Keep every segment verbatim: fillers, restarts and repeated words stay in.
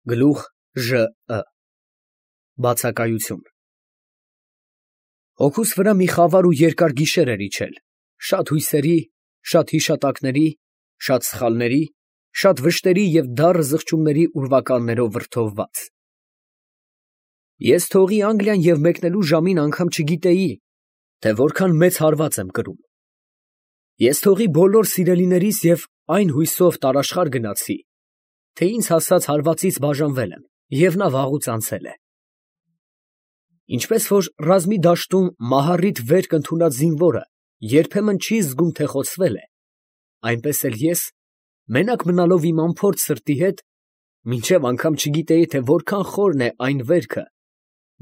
Գլուխ Ժ Ը Բացակայություն Հոգուս վրա մի խավար ու երկար գիշեր էր իջել, շատ հույսերի, շատ հիշատակների, շատ սխալների, շատ վշտերի և դառը զղջումների ուրվականներով վրդովված։ Ես թողի Անգլիան և մեկնելու ժամին անգամ չգիտեի, թե որքան մեծ հարված եմ կրում։ Ես թողի բոլոր սիրելիներիս և այն հույսով տարաշխար գնացի, թե ինձ հասած հարվածից բաժանվել եմ, և նա վաղուց անցել է։ Ինչպես որ ռազմի դաշտում մահառիթ վերք ընդունած զինվորը երբեմն չի զգում, թե խոցվել է, այնպես էլ ես, մենակ մնալով իմ անփորձ սրտի հետ, մինչև անգամ չգիտեի, թե որքան խորն է այն վերքը,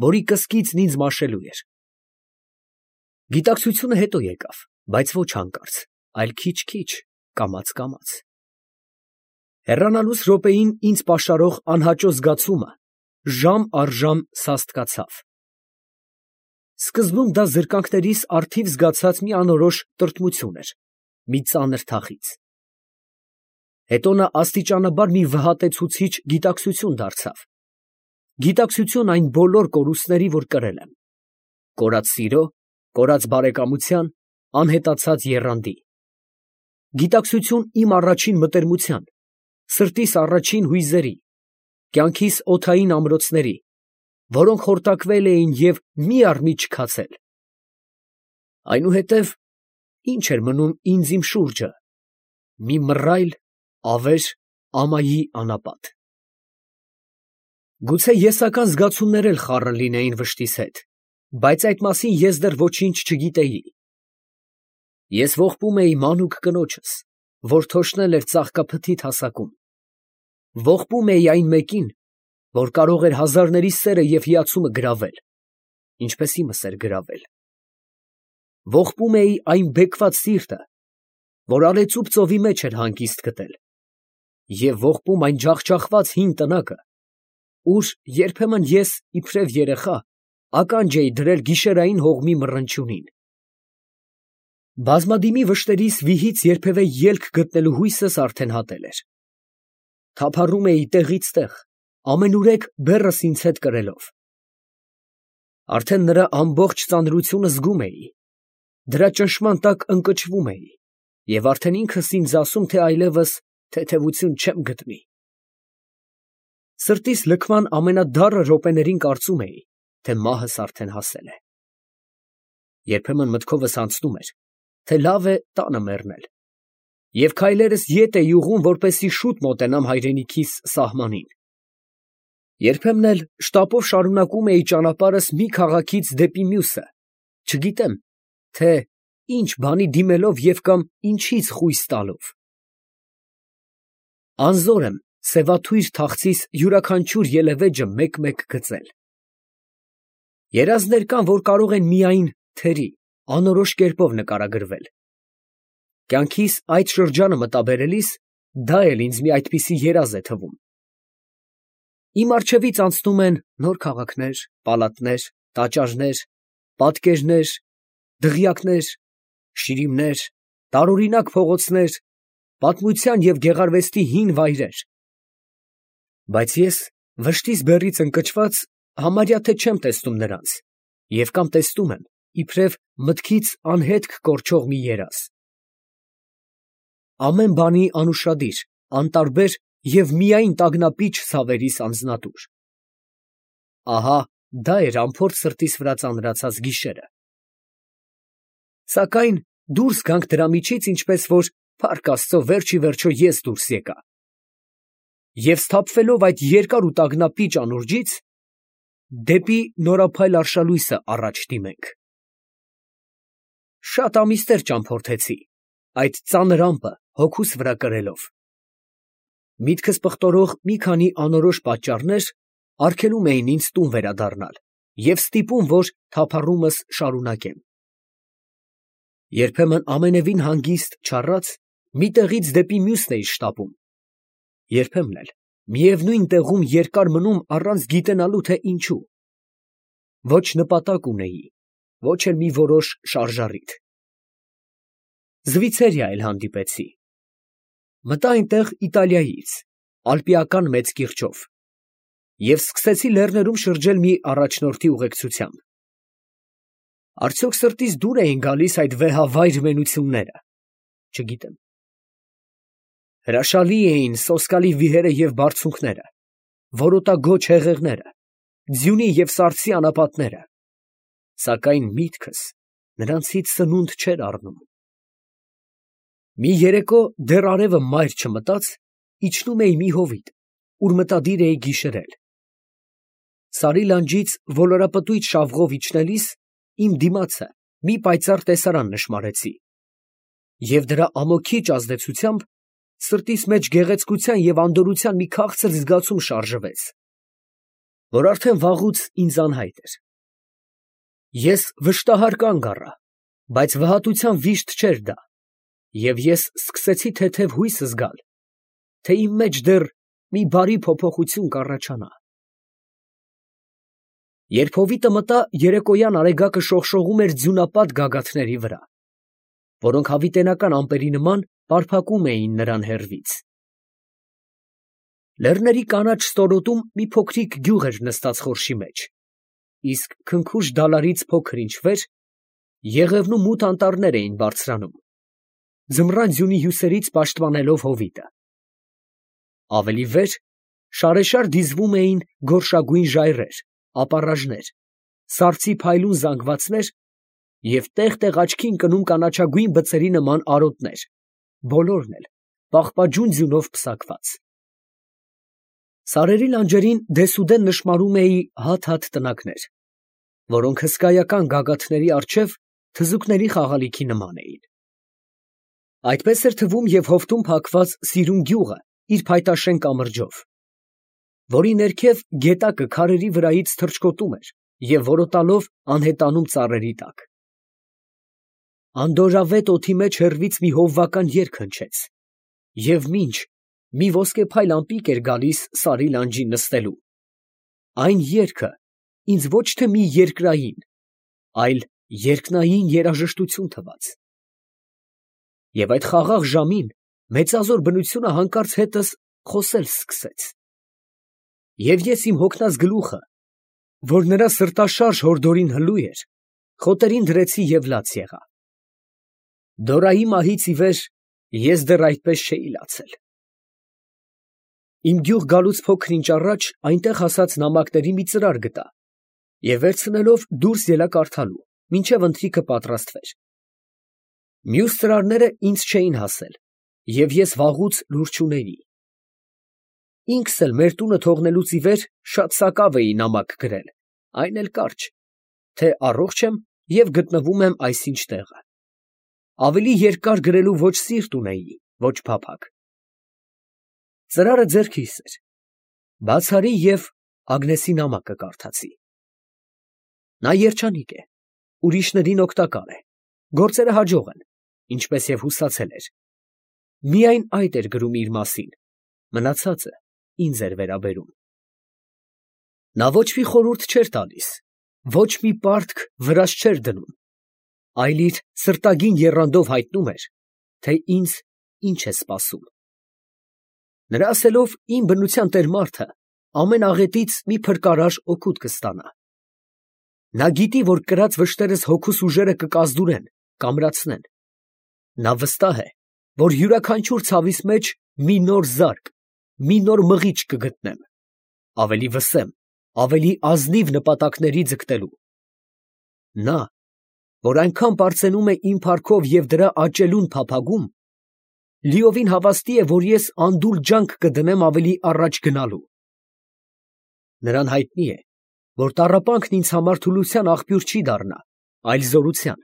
որի կսկիծն ինձ մաշելու էր։ Գիտակցությունը հետո եկավ, բայց ոչ հանկարծ, այլ քիչ֊քիչ, կամաց֊կամաց։ Հեռանալուս րոպեին ինձ պաշարող անհաճո զգացումը ժամ առ ժամ սաստկացավ։ Սկզբում դա զրկանքներիս առթիվ զգացած մի անորոշ տրտմություն էր, մի ծանր թախիծ։ Հետո նա աստիճանաբար մի վհատեցուցիչ գիտակցություն դարձավ, գիտակցություն այն բոլոր կորուստների, որ կրել եմ, կորած սիրո, կորած բարեկամության, անհետացած եռանդի, գիտակցություն իմ առաջին մտերմության, սրտիս առաջին հույզերի, կյանքիս օդային ամրոցների, որոնք խորտակվել էին և մի առ մի չքացել։ Այնուհետև ի՞նչ էր մնում ինձ իմ շուրջը, մի մռայլ, ավեր, ամայի անապատ։ Գուցե եսական զգացումներ էլ խառն լինեին վշտիս հետ, բայց այդ մասին ես դեռ ոչինչ չգիտեի։ Ես ողբում էի մանուկ կնոջս, որ թոշնել էր ծաղկափթիթ հասակում, ողբում էի այն մեկին, որ կարող էր հազարների սերը և հիացումը գրավել, ինչպես իմս էր գրավել, ողբում էի այն բեկված սիրտը, որ արեծուպ ծովի մեջ էր հանգիստ գտել, և ողբում այն ջախջախված հին տնակը, ուր երբեմն ես, իբրև երեխա, ականջ էի դրել գիշերային հողմի մռնչյունին։ Բազմադիմի վշտերիս վիհից երբևէ ելք գտնելու հույսս արդեն հատել էր։ Թափառում էի տեղից տեղ, ամենուրեք բեռս ինձ հետ կրելով։ Արդեն նրա ամբողջ ծանրությունը զգում էի, դրա ճնշման տակ ընկճվում էի և արդեն ինքս ինձ ասում, թե այլևս թեթևություն չեմ գտնի։ Սրտիս լքման ամենադառը րոպեներին կարծում էի, թե մահս արդեն հասել է։ Երբեմն մտքովս անցնում էր, թե լավ է տանը մեռնել, և քայլերս ետ էի ուղղում, որպեսզի շուտ մոտենամ հայրենիքիս սահմանին։ Երբեմն էլ շտապով շարունակում էի ճանապարհս մի քաղաքից դեպի մյուսը, չգիտեմ, թե ինչ բանի դիմելով և կամ ինչից խույս տալով։ Անզոր եմ սևաթույր թախծիս յուրաքանչյուր ելևէջը մեկ֊մեկ գծել։ Երազներ կան, որ կարող են միայն թերի, անորոշ կերպով նկարագրվել։ Կյանքիս այդ շրջանը մտաբերելիս դա էլ ինձ մի այդպիսի երազ է թվում։ Իմ առջևից անցնում են նոր քաղաքներ, պալատներ, տաճարներ, պատկերներ, դղյակներ, շիրիմներ, տարօրինակ փողոցներ, պատմության և գեղարվեստի հին վայրեր։ Բայց ես, վշտիս բեռից ընկճված, համարյա թե չեմ տեսնում նրանց, և կամ տեսնում եմ, իբրև մտքից անհետք կորչող մի երազ։ Ամեն բանի անուշադիր, անտարբեր և միայն տագնապիչ ցավերիս անձնատուր։ Ահա դա էր անփորձ սրտիս վրա ծանրացած գիշերը։ Սակայն դուրս գանք դրա միջից, ինչպես որ, փառք Աստծո, վերջ ի վերջո ես դուրս եկա։ Եվ սթափվելով այդ երկար ու տագնապիչ անուրջից, դեպի նորափայլ արշալույսը առաջ դիմենք։ Շատ ամիսներ ճամփորդեցի, այդ ծանր ամպը հոգուս վրա կրելով։ Միտքս պղտորող մի քանի անորոշ պատճառներ արգելում էին ինձ տուն վերադառնալ և ստիպում, որ թափառումս շարունակեմ։ Երբեմն ամենևին հանգիստ չառած, մի տեղից դեպի մյուսն էի շտապում, երբեմն էլ միևնույն տեղում երկար մնում առանց գիտենալու, թե ինչու։ Ոչ նպատակ ունեի, ոչ էլ մի որոշ շարժառիթ։ Զվիցերիա էլ հանդիպեցի։ Մտա այնտեղ Իտալիայից, ալպիական մեծ կիրճով, և սկսեցի լեռներում շրջել մի առաջնորդի ուղեկցությամբ։ Արդյոք սրտիս դուր էին գալիս այդ վեհավայր մենությունները, չգիտեմ։ Հրաշալի էին սոսկալի վիհերը և բարձունքները, որոտագոչ հեղեղները, ձյունի և սառցի անապատները, սակայն միտքս նրանցից սնունդ չէր առնում։ Մի երեկո դեռ արևը մայր չմտած, իջնում էի մի հովիտ, ուր մտադիր էի գիշերել։ Սարի լանջից ոլորապտույտ շավղով իջնելիս իմ դիմացը մի պայծառ տեսարան նշմարեցի, և դրա ամոքիչ ազդեցությամբ սրտիս մեջ գեղեցկության և անդորրության մի քաղցր զգացում շարժվեց, որ արդեն վաղուց ինձ անհայտ էր։ Ես վշտահար կանգ առա, բայց վհատության վիշտ չէր դա, և ես սկսեցի թեթև հույս զգալ, թե իմ մեջ դեռ մի բարի փոփոխություն կառաջանա։ Երբ հովիտը մտա, երեկոյան արեգակը շողշողում էր ձյունապատ գագաթների վրա, որոնք հավիտենական ամպերի նման պարփակում էին նրան հեռվից։ Լեռների կանաչ ստորոտում մի փոքրիկ գյուղ էր նստած խորշի մեջ, իսկ քնքուշ դալարից փոքր ինչ վեր եղևնու մութ անտառներ էին բարձրանում, ձմռան ձյունի հյուսերից պաշտպանելով հովիտը։ Ավելի վեր շարեշար դիզվում էին գորշագույն ժայռեր, ապառաժներ, սառցի փայլուն զանգվածներ և տեղ֊տեղ աչքի ընկնում կանաչագույն բծերի նման արոտներ, բոլորն էլ պաղպաջուն ձյունով պսակված։ Սարերի լանջերին դեսուդեն նշմարում էի հատ֊հատ տնակներ, որոնք հսկայական գագաթների առջև թզուկների խաղալիքի նման էին։ Այդպես էր թվում և հովտում փակված սիրուն գյուղը իր փայտաշեն կամրջով, որի ներքև գետակը քարերի վրայից թռչկոտում էր և որոտալով անհետանում ծառերի տակ։ Անդորրավետ օդի մեջ հեռվից մի հովվական երգ հնչեց, և մինչ մի ոսկեփայլ ամպիկ էր գալիս սարի լանջին նստելու, այն երգը ինձ ոչ թե մի երկրային, այլ երկնային երաժշտություն թվաց։ Եվ այդ խաղաղ ժամին մեծազոր բնությունը հանկարծ հետս խոսել սկսեց, և ես իմ հոգնած գլուխը, որ նրա սրտաշարժ հորդորին հլու էր, խոտերին դրեցի և լաց եղա։ Դորայի մահից ի վեր ես դեռ այդպես չէի լացել։ Իմ գյուղ գալուց փոքր ինչ առաջ այնտեղ հասած նամակների մի ծրար գտա և վերցնելով դուրս ելա կարդալու, մինչև ընթրիքը պատրաստվեր։ Մյուս ծրարները ինձ չէին հասել, և ես վաղուց լուր չունեի։ Ինքս էլ մեր տունը թողնելուց ի վեր շատ սակավ էի նամակ գրել, այն էլ կարճ, թե առողջ եմ և գտնվում եմ այսինչ տեղը։ Ավելի երկար գրելու ոչ սիրտ ունեի, ոչ փափագ։ Ծրարը ձեռքիս էր, բաց արի և Ագնեսի նամակը կարդացի։ Նա երջանիկ է, ուրիշներին օգտակար է, գործերը հաջող են, ինչպես և հուսացել էր։ Միայն այդ էր գրում իր մասին, մնացածը ինձ էր վերաբերում։ Նա ոչ մի խորհուրդ չէր տալիս, ոչ մի պարտք վրաս չէր դնում, այլ իր սրտագին եռանդով հայտնում էր, թե ինձ ինչ է սպասում։ Նրա ասելով, իմ բնության տեր մարդը ամեն աղետից մի փրկարար օգուտ կստանա։ Նա գիտի, որ կրած վշտերս հոգուս ուժերը կկազդուրեն, կամրացնեն։ Նա վստահ է, որ յուրաքանչյուր ցավիս մեջ մի նոր զարկ, մի նոր մղիչ կգտնեմ, ավելի վսեմ, ավելի ազնիվ նպատակների ձգտելու։ Նա, որ այնքան պարծենում է իմ փառքով և դրա աճելուն փափագում, լիովին հավաստի է, որ ես անդուլ ջանք կդնեմ ավելի առաջ գնալու։ Նրան հայտնի է, որ տառապանքն ինձ համար թուլության աղբյուր չի դառնա, այլ զորության։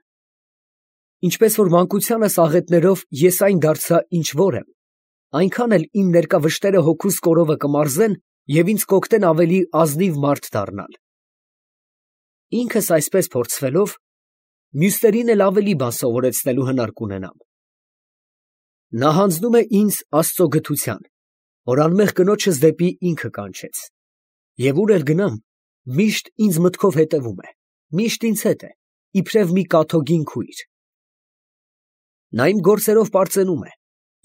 Ինչպես որ մանկությանս աղետներով ես այն դարձա, ինչ որ եմ, այնքան էլ իմ ներկա վշտերը հոգուս կորովը կմարզեն և ինձ կօգնեն ավելի ազնիվ մարդ դառնալ։ Ինքս այսպես փորձվելով, մյուսներին էլ ավելի բան սովորեցնելու հնար կունենամ։ Նա հանձնում է ինձ Աստծո գթության, որ անմեղ կնոջս դեպի ինքը կանչեց, և ուր էլ գնամ, միշտ ինձ մտքով հետևում է, միշտ ինձ հետ է, իբրև մի կաթոգին քույր։ Նա իմ գործերով պարծենում է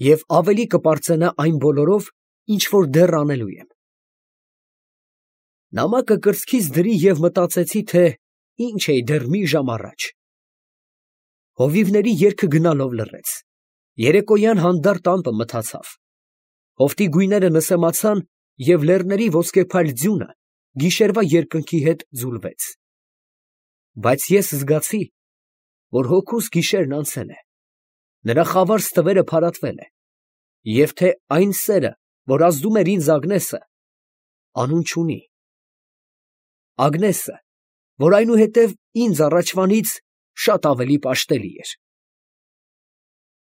և ավելի կպարծենա այն բոլորով, ինչ որ դեռ անելու եմ։ Նամակը կրծքից դրի և մտածեցի, թե ինչ էի դեռ մի ժամ առաջ։ Հովիվների երգը գնալով լռեց, երեկոյան հանդարտ ամպը մթացավ, հովտի գույները նսեմացան և լեռների ոսկեփայլ ձյունը գիշերվա երկնքի հետ ձուլվեց։ Բայց ես զգացի, որ հոգուս գիշերն անցել է, նրա խավար ստվերը փարատվել է, և թե այն սերը, որ ազդում էր ինձ Ագնեսը, անուն չունի։ Ագնեսը, որ այնուհետև ինձ առաջվանից շատ ավելի պաշտելի էր։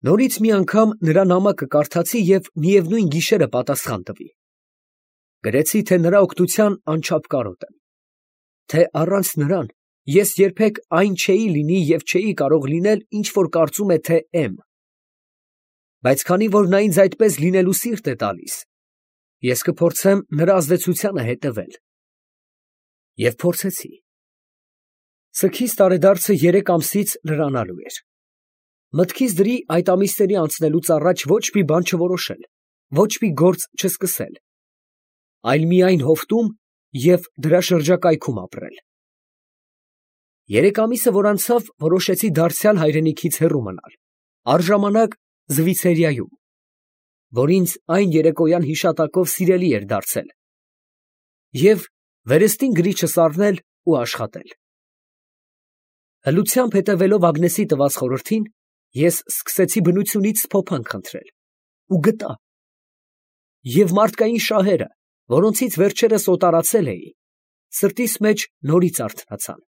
Նորից մի անգամ նրա նամակը կարդացի և միևնույն գիշերը պատասխան տվի։ Գրեցի, թե նրա օգնության անչափ կարոտ եմ, թե առանց նրան ես երբեք այն չէի լինի և չէի կարող լինել, ինչ որ կարծում է, թե եմ։ Բայց քանի որ նա ինձ այդպես լինելու սիրտ է տալիս, ես կփորձեմ նրա ազդեցությանը հետևել։ Եվ փորձեցի։ Սգիս տարեդարձը երեք ամսից լրանալու էր։ Մտքիս դրի այդ ամիսների անցնելուց առաջ ոչ մի բան չորոշել, ոչ մի գործ չսկսել, այլ միայն հովտում և դրա շրջակայքում ապրել։ Երեք ամիսը, որ անցավ, որոշեցի դարձյալ հայրենիքից հեռու մնալ, առժամանակ Զվիցերիայում, որ ինձ այն երեկոյան հիշատակով սիրելի էր դարձել, և վերստին գրիչս առնել ու աշխատել։ Հլությամբ հետևելով Ագնեսի տված խորհրդին, ես սկսեցի բնությունից սփոփանք խնդրել ու գտա, և մարդկային շահերը, որոնցից վերջերս օտարացել էի, սրտիս մեջ նորից արթնացան։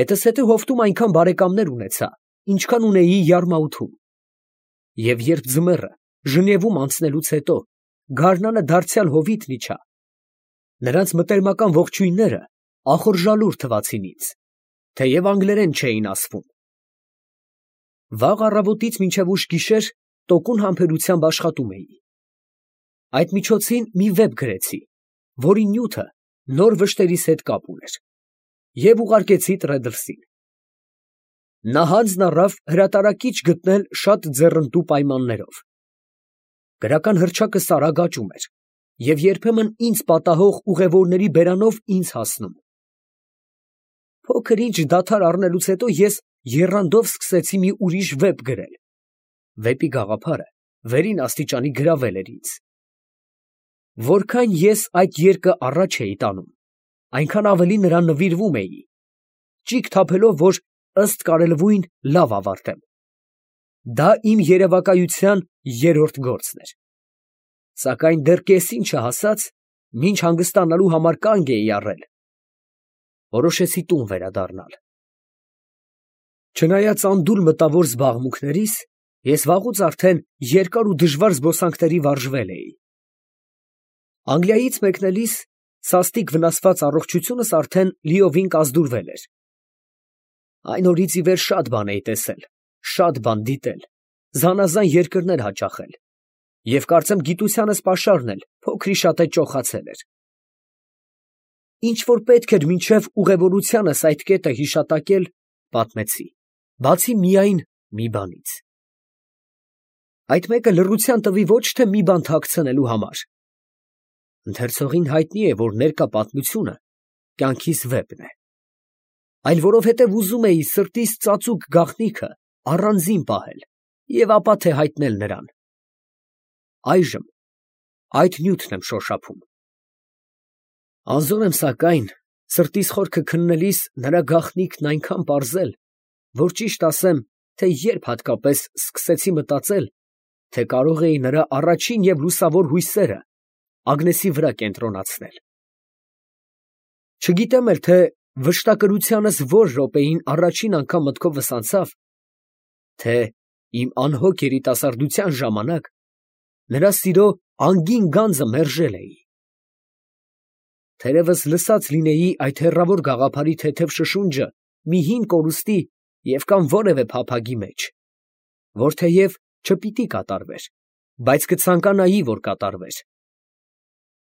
Հետզհետե հովտում այնքան բարեկամներ ունեցա, ինչքան ունեի Յարմաութում, և երբ ձմեռը Ժնևում անցնելուց հետո գարնանը դարձյալ հովիտն իջա, նրանց մտերմական ողջույնները ախորժալուր թվացին ինձ, թեև անգլերեն չէին ասվում։ Վաղ առավոտից մինչև ուշ գիշեր տոկուն համբերությամբ աշխատում էի։ Այդ միջոցին մի վեպ գրեցի, որի նյութը նոր վշտերիս հետ կապ ուներ, և ուղարկեցի Տրեդլսին։ Նա հանձն առավ հրատարակիչ գտնել շատ ձեռնտու պայմաններով։ Գրական հռչակս արագ աճում էր և երբեմն ինձ պատահող ուղևորների բերանով ինձ հասնում։ Փոքր ինչ դադար առնելուց հետո ես եռանդով սկսեցի մի ուրիշ վեպ գրել։ Վեպի գաղափարը վերին աստիճանի գրավել էր ինձ։ Որքան ես այդ երկը առաջ էի տանում, այնքան ավելի նրան նվիրվում էի, ճիգ թափելով, որ ըստ կարելվույն լավ ավարտեմ։ Դա իմ երևակայության երրորդ գործն էր։ Սակայն դեռ կեսին չհասած, մինչ հանգստանալու համար կանգ էի առել, որոշեցի տուն վերադառնալ։ Չնայած անդուլ մտավոր զբաղմունքներիս, ես վաղուց արդեն երկար ու դժվար զբոսանքների վարժվել էի։ Անգլիայից մեկնելիս սաստիկ վնասված առողջությունս արդեն լիովին կազդուրվել էր։ Այն օրից ի վեր շատ բան էի տեսել, շատ բան դիտել, զանազան երկրներ հաճախել, և կարծեմ գիտությանս պաշարն էլ փոքրիշատե ճոխացել էր։ Ինչ որ պետք էր մինչև ուղևորությանս այդ կետը հիշատակել, պատմեցի, բացի միայն մի բանից։ Այդ մեկը լռության տվի ոչ թե մի բան թաքցնելու համար։ Ընթերցողին հայտնի է, որ ներկա պատմությունը կյանքիս վեպն է, այլ որովհետև ուզում էի սրտիս ծածուկ գաղտնիքը առանձին պահել և ապա թե հայտնել նրան։ Այժմ այդ նյութն եմ շոշափում։ Անզոր եմ սակայն սրտիս խորքը քննելիս նրա գաղտնիքն այնքան պարզել, որ ճիշտ ասեմ, թե երբ հատկապես սկսեցի մտածել, թե կարող էի նրա առաջին և լուսավոր հույսերը Ագնեսի վրա կենտրոնացնել։ Չգիտեմ էլ, թե վշտակրությանս որ րոպեին առաջին անգամ մտքովս անցավ, թե իմ անհոգ երիտասարդության ժամանակ նրա սիրո անգին գանձը մերժել էի։ Թերևս լսած լինեի այդ հեռավոր գաղափարի թեթև շշունջը մի հին կորուստի և կամ որևէ փափագի մեջ, որ թեև չպիտի կատարվեր, բայց կցանկանայի, որ կատարվեր։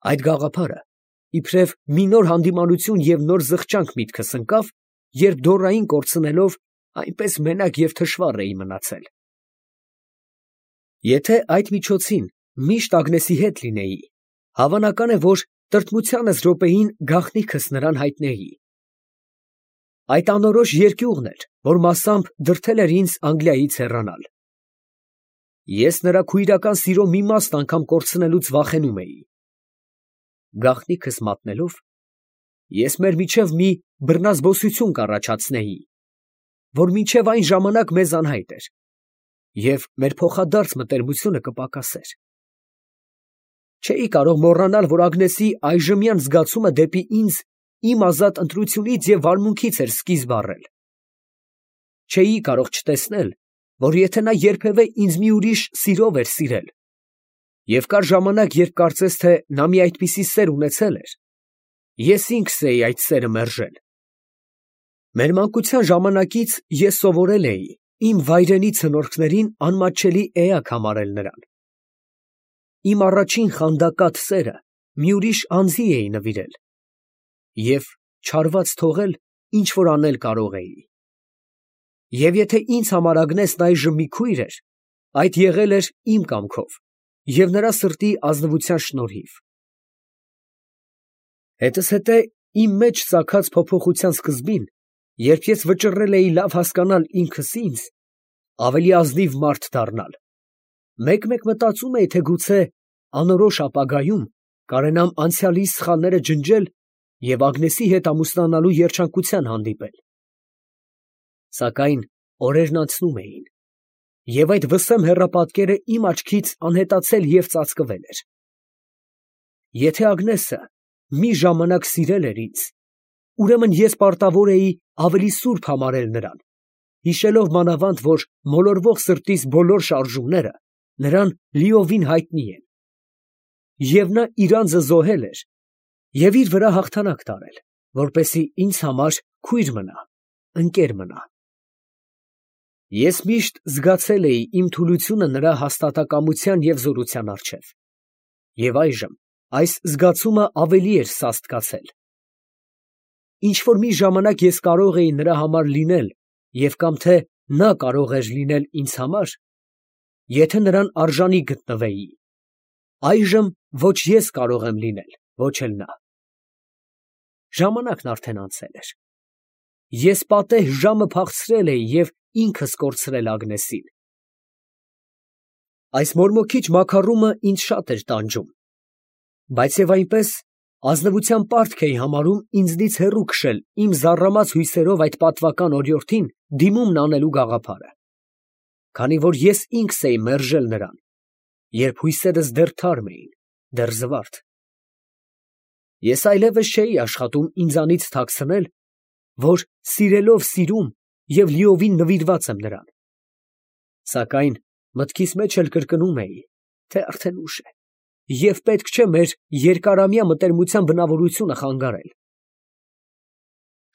Այդ գաղափարը իբրև մի նոր հանդիմանություն և նոր զղջանք միտքս ընկավ, երբ դոռային կորցնելով այնպես մենակ և թշվառ էի մնացել։ Եթե այդ միջոցին միշտ Ագնեսի հետ լինեի, հավանական է, որ տրտմությանս րոպեին գաղտնիքս նրան հայտնեի։ Այդ անորոշ երկյուղն էր, որ մասամբ դրդել էր ինձ Անգլիայից հեռանալ։ Ես նրա քույրական սիրո մի մասն անգամ կորցնելուց վախենում էի։ Գաղտնիքս մատնելով, ես մեր միջև մի բռնազբոսություն կառաջացնեի, որ մինչև այն ժամանակ մեզ անհայտ էր, և մեր փոխադարձ մտերմությունը կպակասեր։ Չէի կարող մոռանալ, որ Ագնեսի այժմյան զգացումը դեպի ինձ իմ ազատ ընտրությունից և վարմունքից էր սկիզբ առել։ Չէի կարող չտեսնել, որ եթե նա երբևէ ինձ մի ուրիշ սիրով էր սիրել, և կար ժամանակ, երբ կարծես թե նա մի այդպիսի սեր ունեցել էր, ես ինքս էի այդ սերը մերժել։ Մեր մանկության ժամանակից ես սովորել էի իմ վայրենի ցնորքներին անմատչելի էակ համարել նրան։ Իմ առաջին խանդակատ սերը մի ուրիշ անձի էի նվիրել և չարված թողել, ինչ որ անել կարող էի։ Եվ եթե ինձ համար Ագնեսն այժմ մի քույր էր, այդ եղել էր իմ կամքով և նրա սրտի ազնվության շնորհիվ։ Հետզհետե իմ մեջ ծագած փոփոխության սկզբին, երբ ես վճռել էի լավ հասկանալ ինքս ինձ, ավելի ազնիվ մարդ դառնալ, մեկ֊մեկ մտածում էի, թե գուցե անորոշ ապագայում կարենամ անցյալիս սխալները ջնջել և Ագնեսի հետ ամուսնանալու երջանկության հանդիպել։ Սակայն օրերն անցնում էին, և այդ վսեմ հեռապատկերը իմ աչքից անհետացել և ծածկվել էր։ Եթե Ագնեսը մի ժամանակ սիրել էր ինձ, ուրեմն ես պարտավոր էի ավելի սուրբ համարել նրան, հիշելով մանավանդ, որ մոլորվող սրտիս բոլոր շարժումները նրան լիովին հայտնի են, և նա իր անձը զոհել էր և իր վրա հաղթանակ տարել, որպեսզի ինձ համար քույր մնա, ընկեր մնա։ Ես միշտ զգացել էի իմ թուլությունը նրա հաստատակամության և զորության առջև, և այժմ այս զգացումը ավելի էր սաստկացել։ Ինչ֊որ մի ժամանակ ես կարող էի նրա համար լինել և կամ թե նա կարող էր լինել ինձ համար, եթե նրան արժանի գտնվեի, այժմ ոչ ես կարող եմ լինել, ոչ էլ նա։ Ժամանակն արդեն անցել էր։ Ես պատեհ ժամը փախցրել էի և ինքս կորցրել Ագնեսին։ Այս մորմոքիչ մաքառումը ինձ շատ էր տանջում, բայց և այնպես ազնվության պարտք էի համարում ինձնից հեռու քշել իմ զառամած հույսերով այդ պատվական օրիորդին դիմումն անելու գաղափարը, քանի որ ես ինքս էի մերժել նրան, երբ հույսերս դեռ թարմ էին, դեռ զվարթ։ Ես այլևս չէի աշխատում ինձանից թաքցնել, որ սիրելով սիրում և լիովին նվիրված եմ նրան։ Սակայն մտքիս մեջ էլ կրկնում էի, թե արդեն ուշ է, և պետք չէ մեր երկարամյա մտերմության բնավորությունը խանգարել։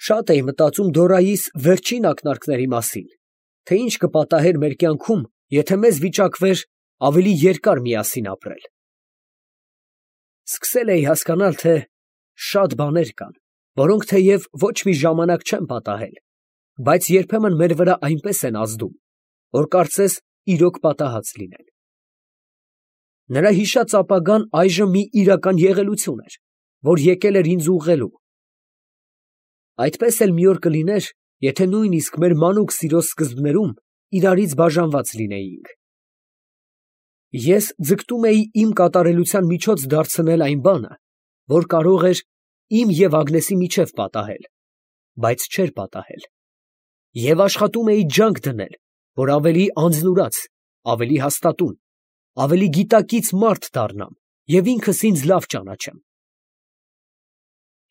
Շատ էի մտածում Դորայիս վերջին ակնարկների մասին, թե ինչ կպատահեր մեր կյանքում, եթե մեզ վիճակվեր ավելի երկար միասին ապրել։ Սկսել էի հասկանալ, թե շատ բաներ կան, որոնք թեև ոչ մի ժամանակ չեն պատահել, բայց երբեմն մեր վրա այնպես են ազդում, որ կարծես իրոք պատահած լինեն։ Նրա հիշած ապագան այժմ մի իրական եղելություն էր, որ եկել էր ինձ ուղղելու։ Այդպես էլ մի օր կլիներ, եթե նույնիսկ մեր մանուկ սիրո սկզբներում իրարից բաժանված լինեինք։ Ես ձգտում էի իմ կատարելության միջոց դարձնել այն բանը, որ կարող էր իմ և Ագնեսի միջև պատահել, բայց չէր պատահել, և աշխատում էի ջանք դնել, որ ավելի անձնուրաց, ավելի հաստատուն, ավելի գիտակից մարդ դառնամ և ինքս ինձ լավ ճանաչեմ։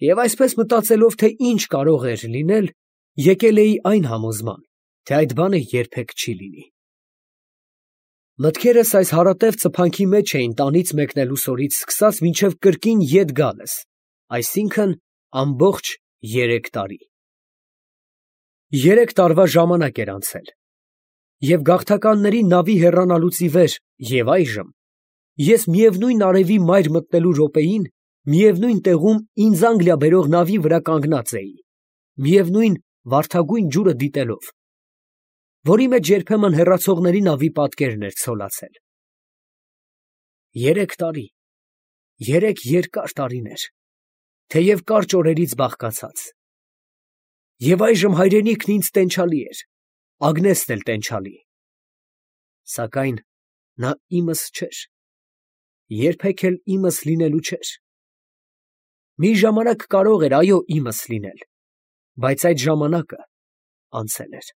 Եվ այսպես մտածելով, թե ինչ կարող էր լինել, եկել էի այն համոզման, թե այդ բանը երբեք չի լինի։ Մտքերս այս հարատև ծփանքի մեջ էին տանից մեկնելուս օրից սկսած մինչև կրկին ետ գալս, այսինքն ամբողջ երեք տարի։ Երեք տարվա ժամանակ էր անցել, և գաղթականների նավի հեռանալուց ի վեր և այժմ ես միևնույն արևի մայր մտնելու րոպեին, միևնույն տեղում ինձ Անգլիա բերող նավի վրա կանգնած էի, միևնույն վարդագույն ջուրը դիտելով, որի մեջ երբեմն հեռացողների նավի պատկերն էր ցոլացել։ Երեք տարի, Երեք երկար տարիներ, թեև կարճ օրերից բաղկացած, և այժմ հայրենիքն ինձ տենչալի էր, Ագնեսն էլ տենչալի, սակայն նա իմս չէր, երբեք էլ իմս լինելու չէր. մի ժամանակ կարող էր, այո, իմս լինել, բայց այդ ժամանակը անցել էր։